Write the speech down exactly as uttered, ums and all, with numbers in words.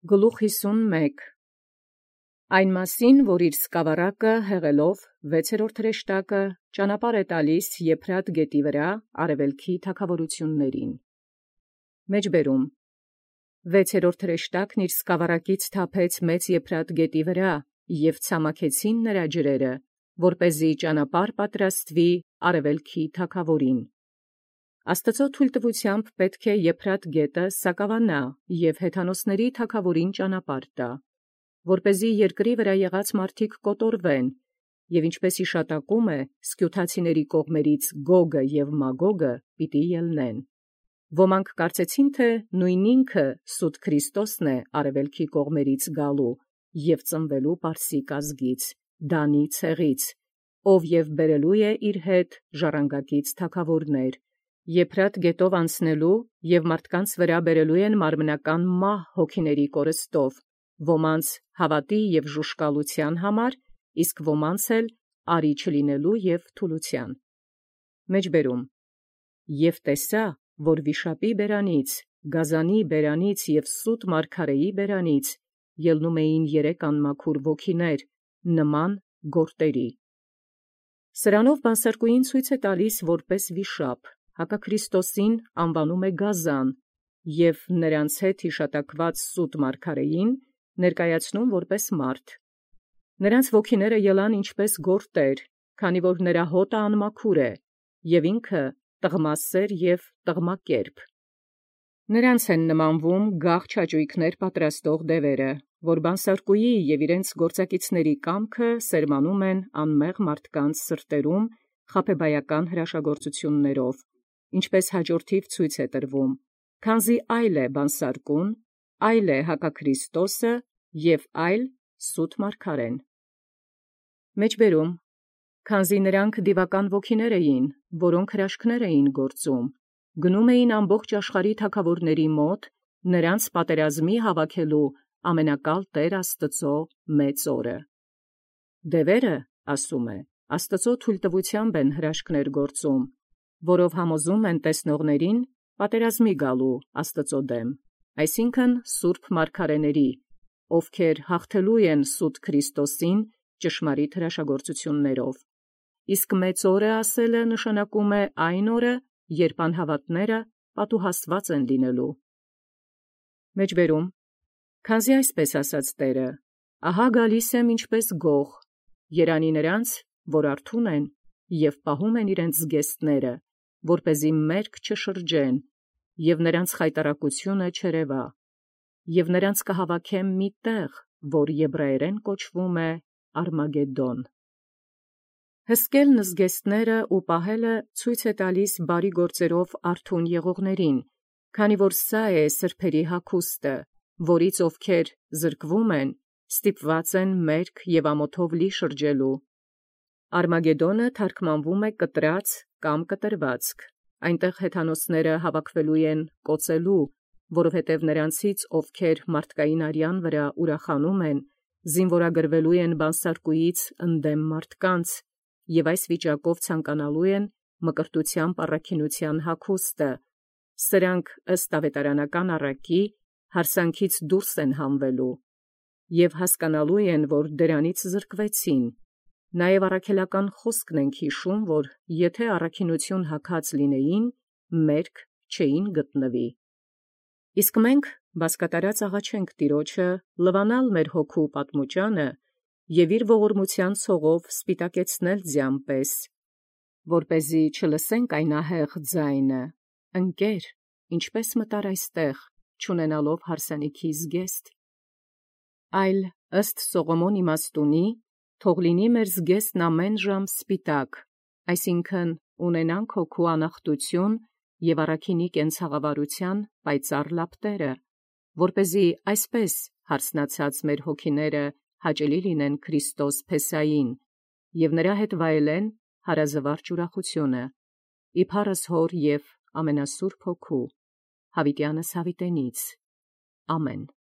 Գլուխ հիսունմեկ Այն մասին, որ իր սկավառակը հեղելով վեցերորդ հրեշտակը ճանապարհ է տալիս Եփրատ գետի վրա արևելքի թագաւորութիւնացն։ Մեջբերում վեցերորդ հրեշտակն իր սկավառակից թափեց մեծ Եփրատ գետի վրա, և ցամաքեցին նրա ջրերը, որպեսզի ճանապարհ պատրաստվի արևելքի թագաւորին։ Աստուծոյ թույլտվութեամբ պետք է Եփրատ գետը սակաւանա և հեթանոսացն թագաւորին ճանապարհ տա, որպեսզի երկրի վրա եղած մարդիկ կոտորվեն, և ինչպէս յիշատակում է, սքիւթացիների կողմանից Գոգը և Մագոգը պիտի ելնեն։ Ոմանք կարծեցին, թէ նոյն ինքը սուտ Քրիստոսն է արևելքի կողմանից գալու և ծնվելու պարսիկ ազգից, Դանի ցեղից, ով և բերելու է իր հետ ժառանգակից թագաւորներ, Եփրատ գետով անցնելու և մարդկանց վրա բերելու են մարմնական մահ հոգիների կորստով, ոմանց հաւատի և ժուժկալութեան համար, իսկ ոմանց էլ արի չլինելու և թուլութեան։ Մեջբերում Եւ տեսայ, որ վիշապի բերանից, գազանի բերանից և սուտ մարգարէի բերանից ելնում էին երեք անմաքուր ոգիներ, նման գորտերի։ Սրանով բանսարկուին ցույց է տալիս որպէս վիշապ, հակաքրիստոսին անուանում է Գազան, և նոցանց հետ յիշատակված սուտ մարգարէին ներկայացնում որպէս մարդ։ Նոցանց ոգիները ելան ինչպէս գորտեր, քանի որ նրա հոտը անմաքուր է, և ինքը տղմասէր և տղմակերպ։ Նոցանց են նմանվում գաղ չաճույքներ պատրաստող դևերը, որ բանսարկուի և իրենց գործակիցների կամքը սերմանում են անմեղ մարդկանց սրտերում խաբեբայական հրաշագործութիւններով, ինչպէս յաջորդիւ ցույց է տրվում, քանզի այլ է բանսարկուն, այլ է հակաքրիստոսը և այլ սուտ մարգարեն։ Մեջբերում Քանզի նոցանք դիւական ոգիներ էին, որոնք հրաշքներ էին գործում, գնում էին ամբողջ աշխարհի թագաւորացն մոտ, նոցանց պատերազմի հավաքելու ամենակալ Տէր Աստուծոյ մեծ օրը։ Դևերը, ասում է, Աստուծոյ թույլտվութեամբ են հրաշքներ գործում, որով համոզում են տեսնողներին պատերազմի գալու Աստուծոյ դեմ, այսինքն սուրբ մարգարէաց, ովքեր հաղթելու են սուտ Քրիստոսին ճշմարիտ հրաշագործութիւններով։ Իսկ մեծ օրը ասելը նշանակում է այն օրը, երբ անհաւատները պատուհասված են լինելու։ Մեջբերում Քանզի այսպես ասաց Տէրը. «Ահա գալիս եմ ինչպէս գող, երանի նրանց, որ արթուն են և պահում են իրենց զգեստները, որպեսզի մերկ չշրջեն, և նրանց խայտառակությունը չերևայ, և նրանց կհաւաքեմ մի տեղ, որ եբրայերէն կոչվում է Արմագեդոն»։ Հսկելն զգեստները ու պահելը ցույց է տալիս բարի գործերով արթուն եղողներին, քանի որ սա է սրբոց հագուստը, որից ովքեր զրկվում են, ստիպված են մերկ և ամոթով լի շրջելու։ Արմագեդոնը թարգմանվում է կտրած կամ կտրվածք, այնտեղ հեթանոսները հավաքվելու են կոծելու, որովհետև նրանցից, ովքեր մարդկային արեան վրա ուրախանում են, զինուորագրվելու են բանսարկուից ընդդեմ մարդկանց, և այս վիճակով ցանկանալու են մկրտութեամբ առաքինութեան հագուստը, սրանք ըստ աւետարանական առակի յարսանքից դուրս են հանվելու, և հասկանալու են, որ դրանից զրկվեցին։ Նաև առաքելական խոսքն ենք յիշում, որ եթէ առաքինութիւն հագած լինեին, մերկ չէին գտնվի։ Իսկ մենք բազկատարած աղաչենք Տեառնէ լվանալ մեր հոգու պատմուճանը և իր ողորմութեան ցողով սպիտակեցնել ձյան պես, որպեսզի չլսենք այն ահեղ ձայնը. «Ընկեր, ինչպէս մտար այստեղ, չունենալով յարսանիքի զգեստ»։ Այլ ըստ Սողոմոն իմաստունի, թող լինի մեր զգեստն ամենայն ժամ սպիտակ, այսինքն՝ ունենանք հոգու անախտութիւն և առաքինի կենցաղավարութեան պայծառ լապտերը, որպեսզի այսպես յարսնացած մեր հոգիները հաճելի լինեն Քրիստոս Փեսային, և նրա հետ վայելեն հարազվարճ ուրախութիւնը, ի փառս Հօր և ամենասուրբ Հոգու, յաւիտեանս յաւիտենից. ամեն։